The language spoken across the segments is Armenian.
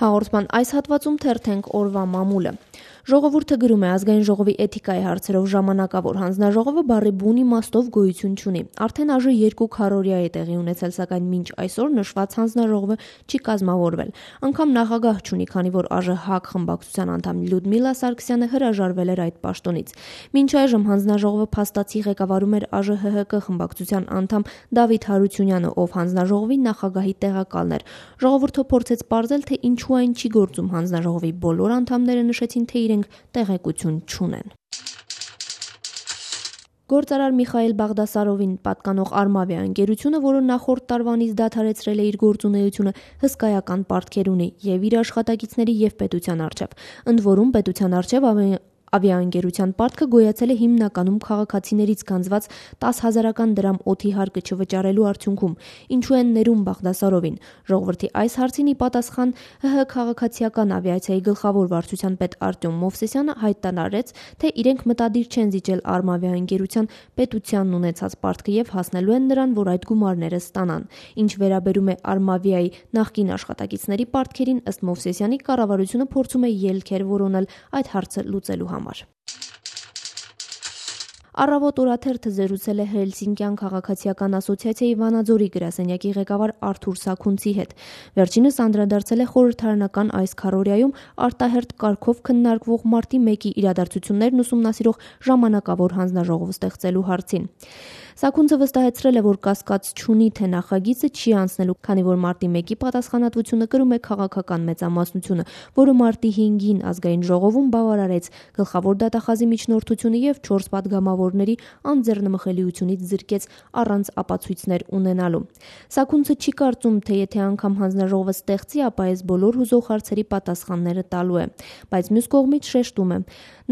Հաղորդման այս հատվածում թերթենք օրվա մամուլը։ Ժողովուրդը գրում է ազգային ժողովի էթիկայի հարցերով ժամանակավոր հանձնաժողովը բառի բուն իմաստով գոյություն չունի։ Արդեն այժմ 2 քառօրյա է տեղի ունեցել, սակայն մինչ այսօր նշված հանձնաժողովը չի կազմավորվել։ Անգամ նախագահ չունի, քանի որ ԱԺՀ խմբակցության անդամ Լյուդմիլա Սարգսյանը հրաժարվել էր այդ պաշտոնից։ Մինչ այժմ հանձնաժողովը փաստացի ղեկավարում էր ԱԺՀՀԿ խմբակցության անդամ Դավիթ Հարությունյանը, ով հանձնաժողովի նախագահի տեղակալն էր։ Ժողովուրդը փորձեց պարզել, թե ինչու այն չի գործում։ Հանձնաժողովի բոլոր անդամները նշեցին, թե իրենք տեղեկություն չունեն։ Գործարար Միխայել Բաղդասարովին պատկանող Արմավիա ընկերությունը, որը նախորդ տարվանից դադարեցրել է իր գործունեությունը, հսկայական պարտքեր ունի եւ իր աշխատակիցների եւ պետության առջեւ։ Ընդ որում պետության առջեւ ավիաընկերության պարտքը գոյացել է հիմնականում քաղաքացիներից գանձված 10,000 դրամ օդի հարկը չվճարելու արդյունքում։ Ինչու են ներում Բաղդասարովին։ Ժողովրդի այս հարցին ի պատասխան ՀՀ քաղաքացիական ավիացիայի գլխավոր վարչության պետ Արտյոմ Մովսեսյանը հայտարարեց, թե իրենք մտադիր չեն զիջել Արմավիա ընկերության պետությանն ունեցած պարտքը եւ հասնելու են նրան, որ այդ գումարները ստանան։ Ինչ վերաբերում է Արմավիայի նախկին աշխատակիցների պարտքերին, ըստ Մովսեսյանի, կառավարությունը փորձում է ելքեր որոնել այդ հարցը լուծելու համար։ Առավոտ օրաթերթը զրուցել է Հելսինկյան քաղաքացիական ասոցիացիայի Վանաձորի գրասենյակի ղեկավար Արթուր Սաքունցի հետ։ Վերջինս անդրադարձել է խորհրդարանական այս քառօրյայում արտահերթ կարգով քննարկվող մարտի 1-ի իրադարձություններն ուսումնասիրող ժամանակավոր հանձնաժողով ստեղծելու հարցին։ Սաքունցը վստահեցրել է, որ կասկած չունի, թե նախագիծը չի անցնելու, քանի որ մարտի 1-ի պատասխանատվությունը կրում է քաղաքական մեծամասնությունը, որը մարտի 5-ին ազգային ժողովում բավարարեց գլխավոր դատախազի միջնորդությունը եւ 4 падգամավորների անձեռնմխելիությունից զրկեց առանց ապացույցներ ունենալու։ Սաքունցը չի կարծում, թե եթե անգամ հանձնաժողովը ստեղծի, ապա այս բոլոր հուզող հարցերի պատասխանները տալու է, բայց մյուս կողմից շեշտում է.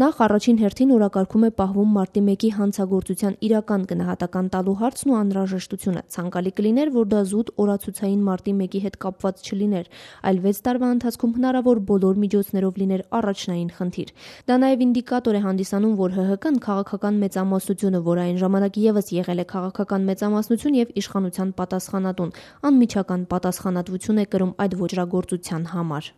նախ առաջին հերթին օրակարգում է պահվում մարտի 1-ի հանցագործության իրական գնահատական տալու հարցն ու անհրաժեշտությունը։ Ցանկալի կլիներ, որ դա զուտ օրացուցային մարտի 1-ի հետ կապված չլիներ, այլ 6 տարվա ընթացքում հնարավոր բոլոր միջոցներով լիներ առաջնային խնդիր։ Դա նաև ինդիկատոր է հանդիսանում, որ ՀՀԿ-ն քաղաքական մեծամասնությունը, որ այն ժամանակ եւս եղել է քաղաքական մեծամասնություն եւ իշխանության պատասխանատուն, անմիջական պատասխանատվություն է կրում այդ ոճրագործության համար։